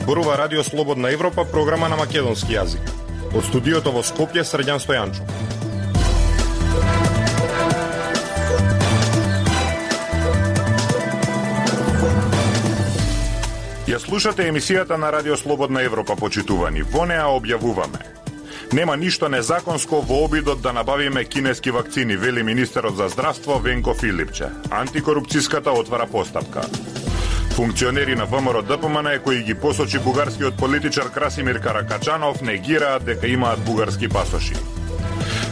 Зборува Радио Слободна Европа, програма на македонски јазик. Од студиото во Скопје, Срđan Стојанчо. Ја слушате емисијата на Радио Слободна Европа, почитувани. Во неа објавуваме: нема ништо незаконско во обидот да набавиме кинески вакцини, вели министерот за здравство Венко Филипче. Антикорупцијската отвара постапка. Функционери на ВМРО ДПМН кои ги посочи бугарскиот политичар Красимир Каракачанов негираат дека имаат бугарски пасоши.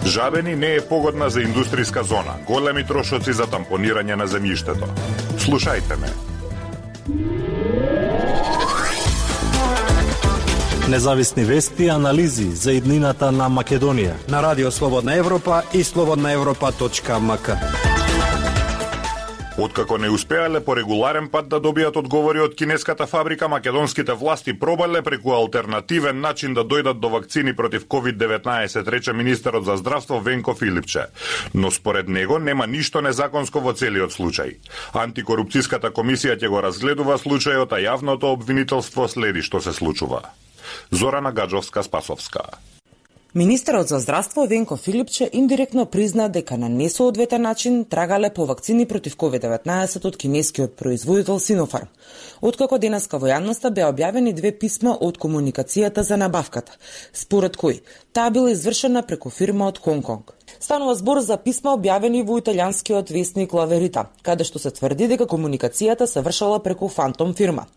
Жабени не е погодна за индустријска зона. Големи трошоци за тампонирање на земјиштето. Слушајте ме. Независни вести и анализи за иднината на Македонија на Радио Слободна Европа и slobodnaevropa.mk. Откако не успеале по регуларен пат да добијат одговори од кинеската фабрика, македонските власти пробале преку алтернативен начин да дојдат до вакцини против COVID-19, рече министерот за здравство Венко Филипче. Но според него нема ништо незаконско во целиот случај. Антикорупцијската комисија ќе го разгледува случајот, а јавното обвинителство следи што се случува. Зорана Гаджовска-Спасовска. Министерот за здравство Венко Филипче индиректно призна дека на несоодветен начин трагале по вакцини против COVID-19 од кинескиот производител Sinopharm. Откако денеска во јавноста беа објавени две писма од комуникацијата за набавката, според кои таа била извршена преку фирма од Хонконг. Станува збор за писма објавени во италијанскиот весник La Verità, каде што се тврди дека комуникацијата се вршала преку фантом фирма.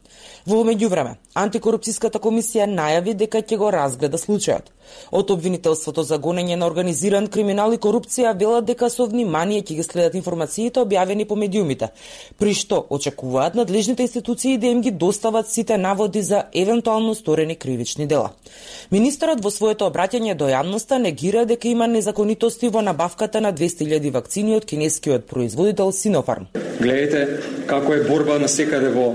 Во меѓувреме, антикорупцијската комисија најави дека ќе го разгледа случајот. Од обвинителството за гонење на организиран криминал и корупција велат дека со внимание ќе ги следат информациите објавени по медиумите, при што очекуваат надлежните институции да им ги достават сите наводи за евентуално сторени кривични дела. Министерот во своето обраќање до јавноста негира дека има незаконитости во набавката на 200.000 вакцини од кинескиот производител Sinopharm. Гледате како е борба на секаде во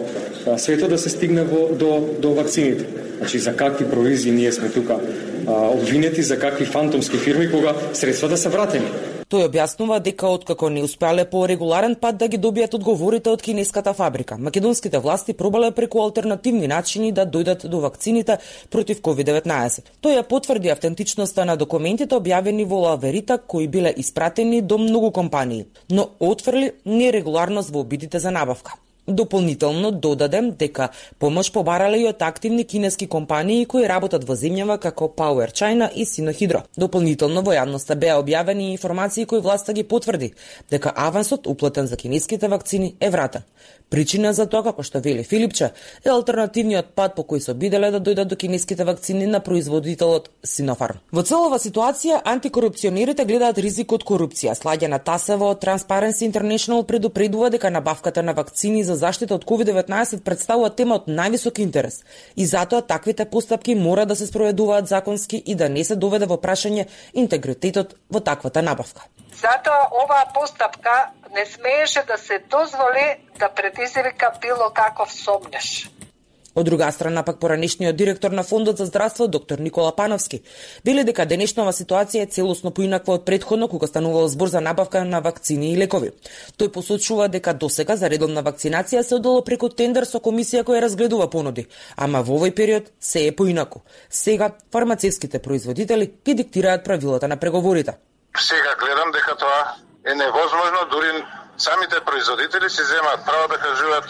светот да се стигне до вакцините. Значи, за какви провизии ние сме тука обвинети, за какви фантомски фирми, кога средствата се вратени. Тој објаснува дека откако не успеале по регуларен пат да ги добијат одговорите од кинеската фабрика, македонските власти пробале преку алтернативни начини да дојдат до вакцините против COVID-19. Тој ја потврди автентичноста на документите објавени во La Verità кои биле испратени до многу компании, но отфрли нерегуларност во обидите за набавка. Дополнително додадем дека помош побарале и од активни кинески компании кои работат во земјава како Power China и Sinohydro. Дополнително во јавноста беа објавени информации кои власта ги потврди дека авансот уплатен за кинеските вакцини е вратен. Причина за тоа, како што вели Филипче, е алтернативниот пат по кој се обиделе да дојдат до кинеските вакцини на производителот Sinopharm. Во целова ситуација, антикорупционерите гледаат ризик од корупција. Сладјана Тасева од Transparency International предупредува дека набавката на вакцини за заштита од COVID-19 представува тема од највисок интерес и затоа таквите постапки мора да се спроведуваат законски и да не се доведе во прашање интегритетот во таквата набавка. Затоа оваа постапка не смееше да се дозволи да предизвика било каков сомнеш. Од друга страна, пак поранешниот директор на Фондот за здравство, доктор Никола Пановски, вели дека денешнава ситуација е целосно поинаква од претходно кога станувал збор за набавка на вакцини и лекови. Тој посочува дека досега за редовна вакцинација се одело преку тендер со комисија која разгледува понуди, ама во овој период се е поинаку. Сега фармацевските производители ги диктираат правилата на преговорите. Сега гледам дека тоа е невозможно, дури самите производители си земаат право да кажуваат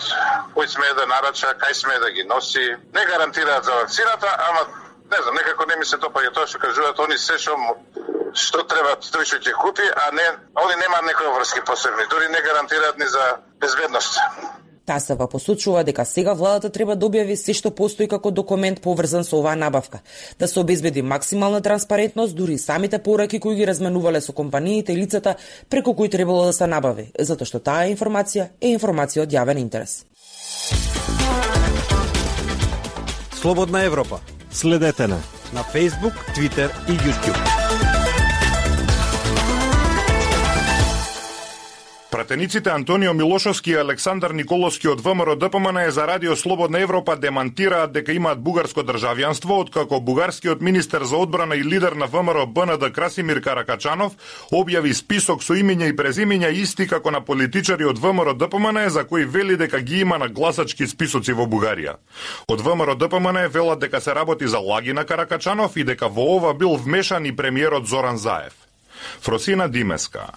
кој смее да нарача, кај смее да ги носи, не гарантираат за вакцината, ама не знам, некако не ми се топаѓа тоа што кажуваат они се што треба тој ќе купи, а не они немаат некои врски посебни, дури не гарантираат ни за безбедност. Тасева посочува дека сега владата треба да објави се што постои како документ поврзан со оваа набавка, да се обезбеди максимална транспарентност, дури самите пораки кои ги разменувале со компаниите и лицата преку кои требало да се набави, затоа што таа информација е информација од јавен интерес. Слободна Европа. Следете на Facebook, Twitter и YouTube. Пратениците Антонио Милошовски и Александар Николовски од ВМРО ДПМН за Радио Слободна Европа демантираат дека имаат бугарско државјанство, откако бугарскиот министер за одбрана и лидер на ВМРО БНД Красимир Каракачанов објави список со имиња и презимиња исти како на политичари од ВМРО ДПМН за кои вели дека ги има на гласачки списоци во Бугарија. Од ВМРО ДПМН велат дека се работи за лаги на Каракачанов и дека во ова бил вмешан и премиерот Зоран Заев. Фросина Димеска.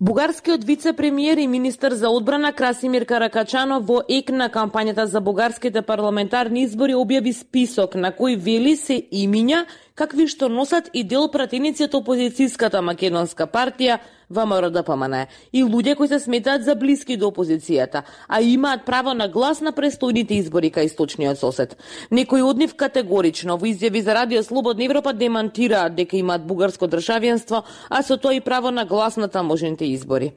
Бугарскиот вице-премиер и министер за одбрана Красимир Каракачанов во ек на кампањата за бугарските парламентарни избори објави список на кој вели се имиња какви што носат и дел пратеници од опозицијската македонска партија ВМРО ДПМН и луѓе кои се сметаат за блиски до опозицијата, а имаат право на глас на престојните избори кај источниот сосед. Некои од нив категорично во изјави за Радио Слободна Европа демантираат дека имаат бугарско државјанство, а со тоа и право на глас на таможните избори.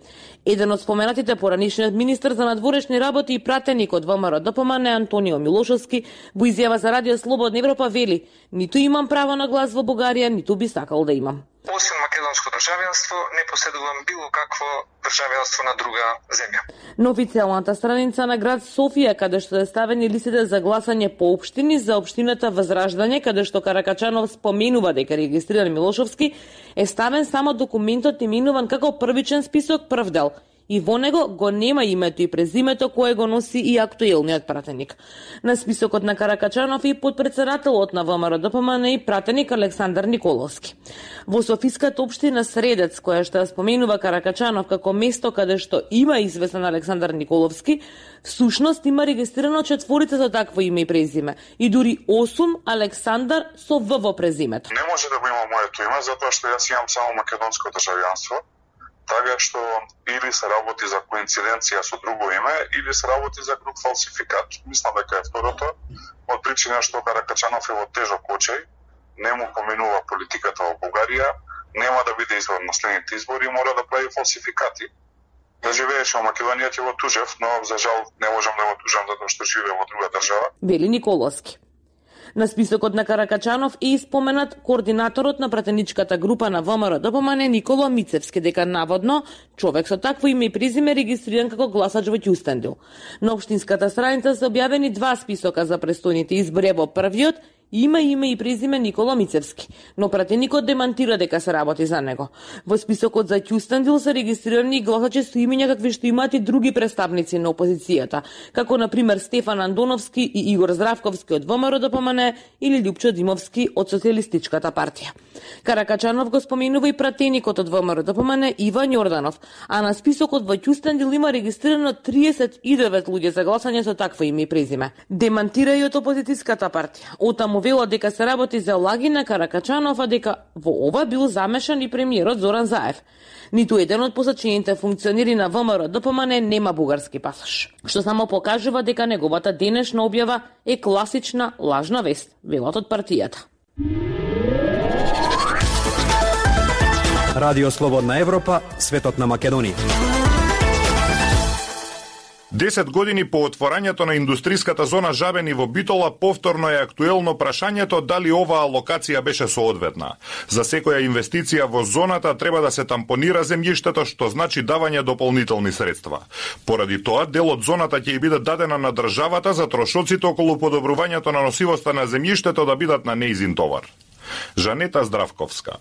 Еден од споменатите поранишниот министер за надворешни работи и пратеник од ВМРО ДПМН Антонио Милошовски во изјава за Радио Слободна Европа вели: "Ниту имам право на глас во Бугарија, ниту би сакал да имам. Освен македонско државјанство, не поседувам било какво државјанство на друга земја." На официјалната страница на град Софија, каде што е ставени листите за гласање по општини за општината Возраждање, каде што Каракачанов споменува дека регистриран Милошовски, е ставен само документот именуван како првичен список прв дел. И во него го нема името и презимето кое го носи и актуелниот пратеник. На списокот на Каракачанов и подпредседателот на ВМРО ДПМН и пратеник Александар Николовски. Во Софиската општина Средец, која што споменува Каракачанов како место каде што има известен Александар Николовски, всушност има регистрирано 4 со такво име и презиме и дури 8 Александар со В во презимето. Не може да го има моето име затоа што јас имам само македонско државјанство. Така што или се работи за коинциденција со друго име, или се работи за груб фалсификат. Мислам дека е второто, од причина што Каракачанов е во тежок очај, не му поменува политиката во Бугарија, нема да биде избран на следните избори и мора да прави фалсификати. Да живееше во Македонија ќе го тужев, но за жал не можам да го тужам затоа што живее во друга држава. Вели Николовски. На списокот на Каракачанов е испоменат координаторот на пратеничката група на ВМРО ДПМН Никола Мицевски, дека наводно човек со такво име и презиме регистриран како гласач во Ќустендил. На општинската страница се објавени 2 списока за престојните избори. Во првиот има име и презиме Никола Мицевски, но пратеникот демантира дека се работи за него. Во списокот за Ќустендил се регистрирани гласачи со имиња какви што имаат и други представници на опозицијата, како на пример Стефан Андоновски и Игор Здравковски од ВМРО ДПМН или Љупчо Димовски од Социјалистичката партија. Каракачанов го споменува и пратеникот од ВМРО ДПМН Иван Јорданов, а на списокот во Ќустендил има регистрирано 39 луѓе за гласање со такво име и презиме. Демантира и од опозицијската партија. Отаму велат дека се работи за лаги на Каракачанов, а дека во ова бил замешан и премиерот Зоран Заев. Ниту еден од посочените функционери на ВМРО ДПМН нема бугарски пасош, што само покажува дека неговата денешна објава е класична лажна вест, велат од партијата. Радио Слободна Европа, светот на Македонија. 10 години по отворањето на индустријската зона Жабени во Битола, повторно е актуелно прашањето дали оваа локација беше соодветна. За секоја инвестиција во зоната треба да се тампонира земјиштето, што значи давање дополнителни средства. Поради тоа, дел од зоната ќе биде дадена на државата за трошоците околу подобрувањето на носивоста на земјиштето да бидат на нејзин товар. Жанета Здравковска.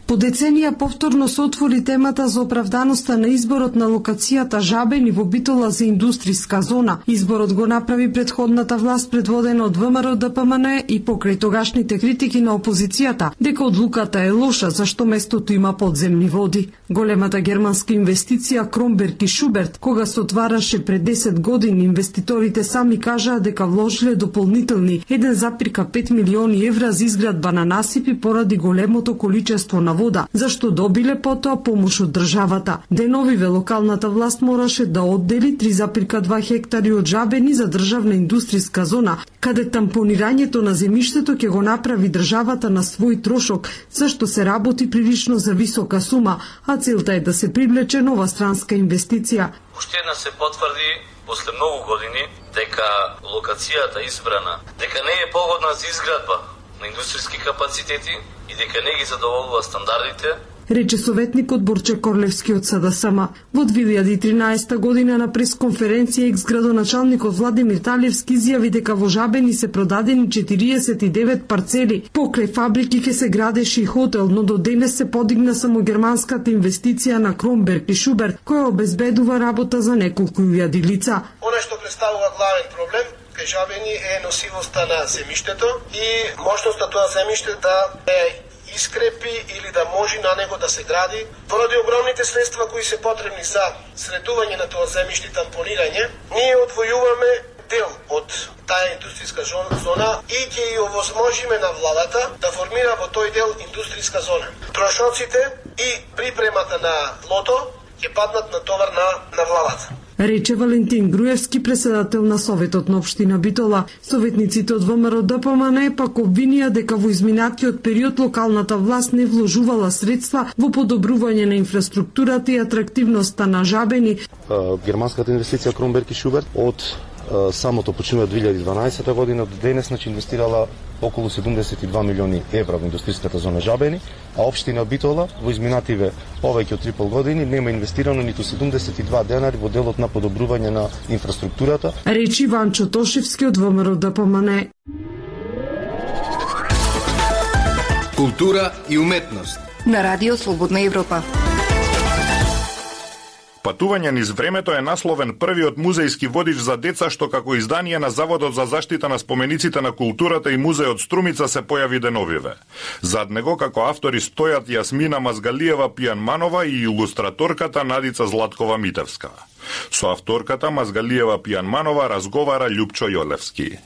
По деценија повторно се отвори темата за оправданоста на изборот на локацијата Жабени во Битола за индустријска зона. Изборот го направи претходната власт предводена од ВМРО ДПМН и покрај тогашните критики на опозицијата дека одлуката е лоша зашто местото има подземни води. Големата германска инвестиција Кромберг и Шуберт, кога се отвараше пред 10 години, инвеститорите сами кажаа дека вложиле дополнителни 1,5 милиони евра за изградба на насипи поради големото количество на вода, зашто добиле потоа помош од државата. Деновиве локалната власт мораше да оддели 3,2 хектари од Жабени за државна индустријска зона, каде тампонирањето на земјиштето ќе го направи државата на свој трошок, зашто се работи прилично за висока сума, а целта е да се привлече нова странска инвестиција. Уште една се потврди после многу години дека локацијата избрана, дека не е погодна за изградба на индустријски капацитети и дека не ги задоволува стандардите рече советникот Борче Корлевски од СДСМ. Во 2013 година на пресконференција екс-градоначалникот Владимир Талевски изјави дека во Жабени се продадени 49 парцели. Покрај фабрики ќе се градеше и хотел, но до денес се подигна само германската инвестиција на Кромберг и Шуберт, која обезбедува работа за неколку илјади лица. Она што представува главен проблем кај Жабени е носивоста на земјиштето и можноста тоа земјиште да искрепи или да може на него да се гради. Поради огромните средства кои се потребни за средување на тоа земјиште и тампонирање, ние одвојуваме дел од таа индустријска зона и ќе ја овозможиме на владата да формира во тој дел индустријска зона. Трошоците и припремата на лото ќе паднат на товар на владата. Рече Валентин Груевски, председател на Советот на општина Битола. Советниците од ВМРО ДПМН пак обвинија дека во изминатиот период локалната власт не вложувала средства во подобрување на инфраструктурата и атрактивноста на Жабени. Германската инвестиција Кромберг и Шуберт од самото почнување од 2012 година до денес инвестирала околу 72 милиони евра во индустријската зона Жабени, а општина Битола во изминативе повеќе од 3,5 години нема инвестирано ниту 72 денари во делот на подобрување на инфраструктурата. Речи Ванчо Тошевски од ВМРО ДПМН. Култура и уметност на Радио Слободна Европа. Патување низ времето е насловен првиот музејски водич за деца што како издание на Заводот за заштита на спомениците на културата и музеот Струмица се појави деновиве. Зад него како автори стојат Јасмина Мазгалиева Пијанманова и илустраторката Надица Златкова Митевска. Со авторката Мазгалиева Пијанманова разговара Љупчо Јолевски.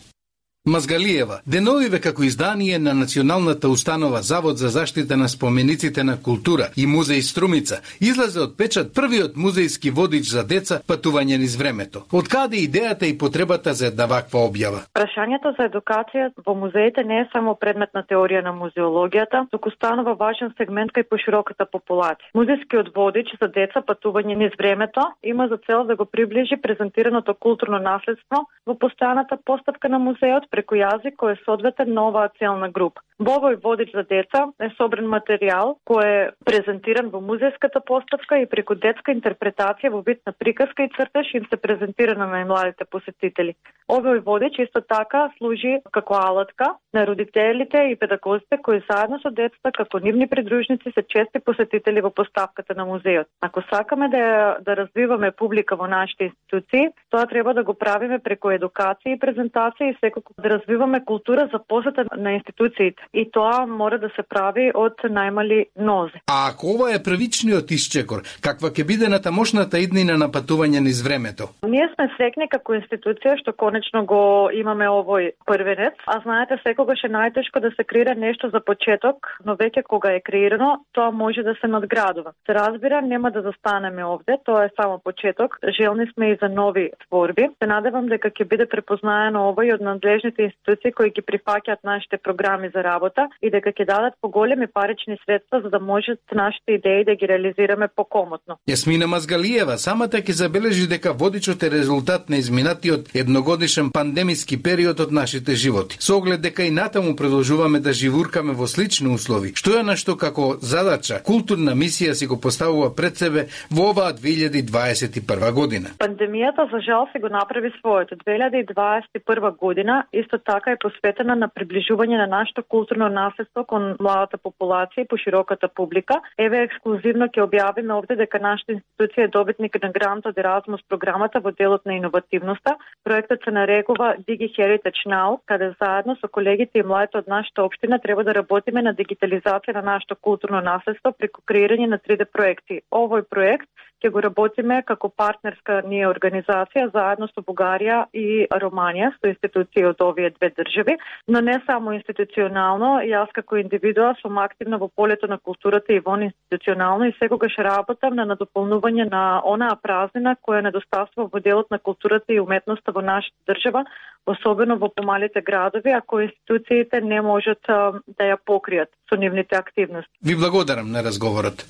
Мазгалиева, деновиве како издание на Националната установа Завод за заштита на спомениците на култура и музеј Струмица, излезе од печат првиот музејски водич за деца Патување низ времето. Од каде идејата и потребата за една ваква објава? Прашањето за едукација во музеите не е само предмет на теорија на музеологијата, туку станува важен сегмент кај пошироката популација. Музејскиот водич за деца Патување низ времето има за цел да го приближи презентираното културно наследство во постојаната поставка на музеот преку јазик кој е соодветен на оваа целна група. Во овој водич за деца е собран материјал кој е презентиран во музејската поставка и преку детска интерпретација во вид на приказка и цртеж им се презентира на најмладите посетители. Овој водич исто така служи како алатка на родителите и педагозите кои заедно со децата како нивни придружници се чести посетители во поставката на музеот. Ако сакаме да развиваме публика во нашите институции, тоа треба да го правиме преку едукација и презентација и секако да развиваме култура за посета на институциите. И тоа мора да се прави од најмали нозе. А ако ова е првичниот исчекор, каква ќе биде натамошната иднина на Патување низ времето? Ние сме среќни како институција што конечно го имаме овој првенец, а знаете секогаш е најтешко да се креира нешто за почеток, но веќе кога е креирано, тоа може да се надградува. Се разбира, нема да застанеме овде, тоа е само почеток. Желни сме и за нови творби. Се надевам дека ќе биде препознаено овој од надлежните институции кои ги прифаќаат нашите програми за работа и дека ќе дадат поголеми парични средства за да можат нашите идеи да ги реализираме покомотно. Јасмина Мазгалиева самата ќе забележи дека водичот е резултат на изминатиот едногодишен пандемиски период од нашите животи. Со оглед дека и натаму продолжуваме да живуркаме во слични услови, што е нешто како задача, културна мисија си го поставува пред себе во оваа 2021 година. Пандемијата за жал се го направи своето. 2021 година исто така е посветена на приближување на нашето културно наследство кон младата популација и пошироката публика. Еве ексклузивно ќе објавиме овде дека нашата институција е добитник на грант од Еразмус програмата во делот на иновативноста. Проектот се нарекува Digi Heritage Now, каде заедно со колегите и младите од нашата општина треба да работиме на дигитализација на нашето културно наследство преку креирање на 3D проекти. Овој проект ќе го работиме како партнерска ние организација заедно со Бугарија и Романија, со институции од овие две држави, но не само институционално, јас како индивидуа сум активна во полето на културата и вон институционално и секогаш работам на надополнување на онаа празнина која недостасува во делот на културата и уметноста во нашата држава, особено во помалите градови, ако институциите не можат да ја покријат со нивните активности. Ви благодарам на разговорот.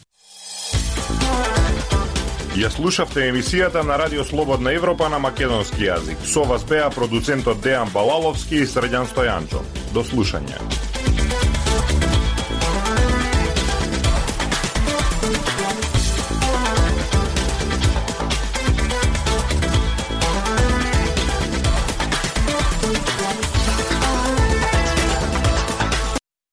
Ја слушавте емисијата на Радио Слободна Европа на македонски јазик. Со вас беа продуцентот Дејан Балаловски и Срđan Стојанчов. До слушање.